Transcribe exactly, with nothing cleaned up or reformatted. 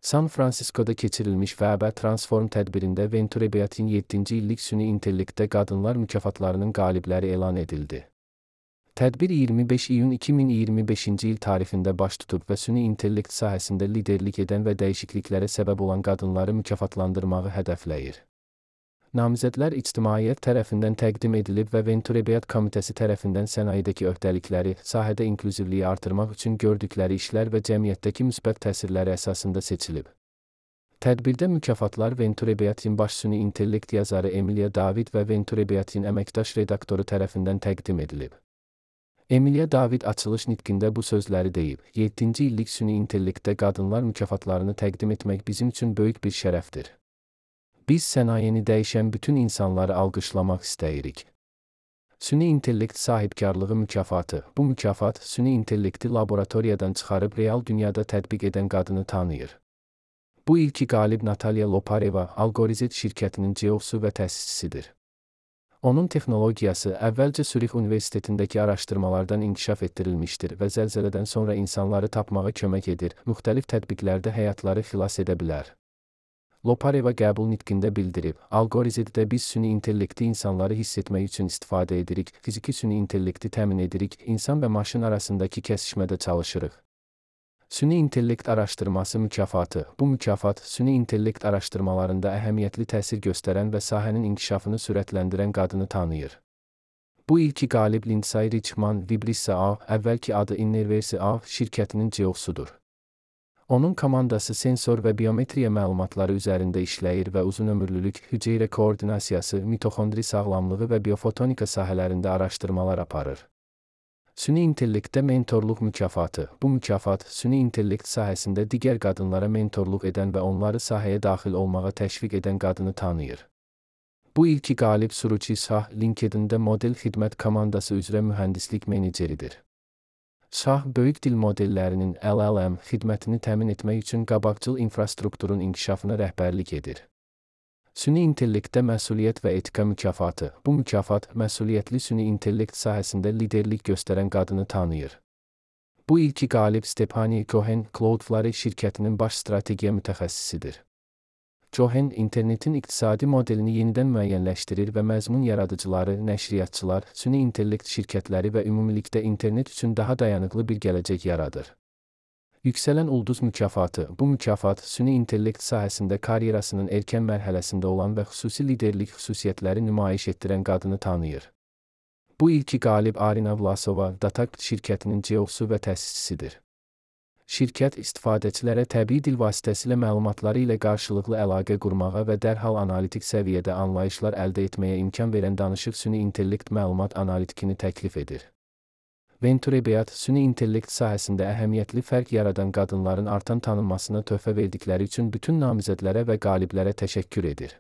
San Francisco'da keçirilmiş Weber Transform tədbirində Venture Beat'in yeddinci illik süni intellektdə qadınlar mükafatlarının qalibləri elan edildi. Tədbir iyirmi beş iyun iki min iyirmi beşinci il tarixində baş tutub və süni intellekt sahəsində liderlik edən və dəyişikliklərə səbəb olan qadınları mükafatlandırmağı hədəfləyir. Namizədlər ictimaiyyət tərəfindən təqdim edilib və Venture Beat komitəsi tərəfindən sənayedəki öhdəlikləri, sahədə inklüzivliyi artırmaq üçün gördükləri işlər və cəmiyyətdəki müsbət təsirləri əsasında seçilib. Tədbirdə mükafatlar Venture Beat'in baş süni intellekt yazarı Emilia David və Venture Beat'in əməkdaş redaktoru tərəfindən təqdim edilib. Emilia David açılış nitqində bu sözləri deyib: yeddinci illik süni intellektdə qadınlar mükafatlarını təqdim etmək bizim üçün böyük bir şərəfdir. Biz sənayeni dəyişən bütün insanları alqışlamaq istəyirik. Süni intellekt sahibkarlığı mükafatı. Bu mükafat, süni intellekti laboratoriyadan çıxarıb real dünyada tətbiq edən qadını tanıyır. Bu ilki qalib Natalya Lopareva, Algorizet şirkətinin C E O-su və təsisçisidir. Onun texnologiyası əvvəlcə Sürix Universitetindəki araşdırmalardan inkişaf etdirilmişdir və zəlzələdən sonra insanları tapmağa kömək edir, müxtəlif tətbiqlərdə həyatları xilas edə bilər. Lopareva qəbul nitqində bildirib: Algorizetdə biz süni intellekti insanları hiss etmək üçün istifadə edirik, fiziki süni intellekti təmin edirik, insan və maşın arasındakı kəsişmədə çalışırıq. Süni intellekt araşdırması mükafatı. Bu mükafat, süni intellekt araşdırmalarında əhəmiyyətli təsir göstərən və sahənin inkişafını sürətləndirən qadını tanıyır. Bu ilki qalib Lindsay Richman Vibrissa A, əvvəlki adı Innerverse A şirkətinin C E O-sudur. Onun komandası sensor və biometriya məlumatları üzərində işləyir və uzunömürlülük, hüceyrə koordinasiyası, mitoxondri sağlamlığı və biofotonika sahələrində araşdırmalar aparır. Süni intellektdə mentorluq mükafatı. Bu mükafat, süni intellekt sahəsində digər qadınlara mentorluq edən və onları sahəyə daxil olmağa təşviq edən qadını tanıyır. Bu ilki qalib Suruchi Shah, LinkedIn-də model xidmət komandası üzrə mühəndislik meneceridir. Shah, böyük dil modellərinin L L M xidmətini təmin etmək üçün qabaqcıl infrastrukturun inkişafına rəhbərlik edir. Süni intellektdə məsuliyyət və etika mükafatı. Bu mükafat, məsuliyyətli süni intellekt sahəsində liderlik göstərən qadını tanıyır. Bu ilki qalib Stephanie Cohen, Cloudflare şirkətinin baş strategiya mütəxəssisidir. Cohen, internetin iqtisadi modelini yenidən müəyyənləşdirir və məzmun yaradıcıları, nəşriyyatçılar, süni intellekt şirkətləri və ümumilikdə internet üçün daha dayanıqlı bir gələcək yaradır. Yüksələn ulduz mükafatı. Bu mükafat, süni intellekt sahəsində karyerasının erkən mərhələsində olan və xüsusi liderlik xüsusiyyətləri nümayiş etdirən qadını tanıyır. Bu ilki qalib Arina Vlasova, Datact şirkətinin C E O-su və təsisçisidir. Şirkət istifadəçilərə təbii dil vasitəsilə məlumatları ilə qarşılıqlı əlaqə qurmağa və dərhal analitik səviyyədə anlayışlar əldə etməyə imkan verən danışıq süni intellekt məlumat analitikini təklif edir. Venture Beat, süni intellekt sahəsində əhəmiyyətli fərq yaradan qadınların artan tanınmasına töhfə verdikləri üçün bütün namizədlərə və qaliblərə təşəkkür edir.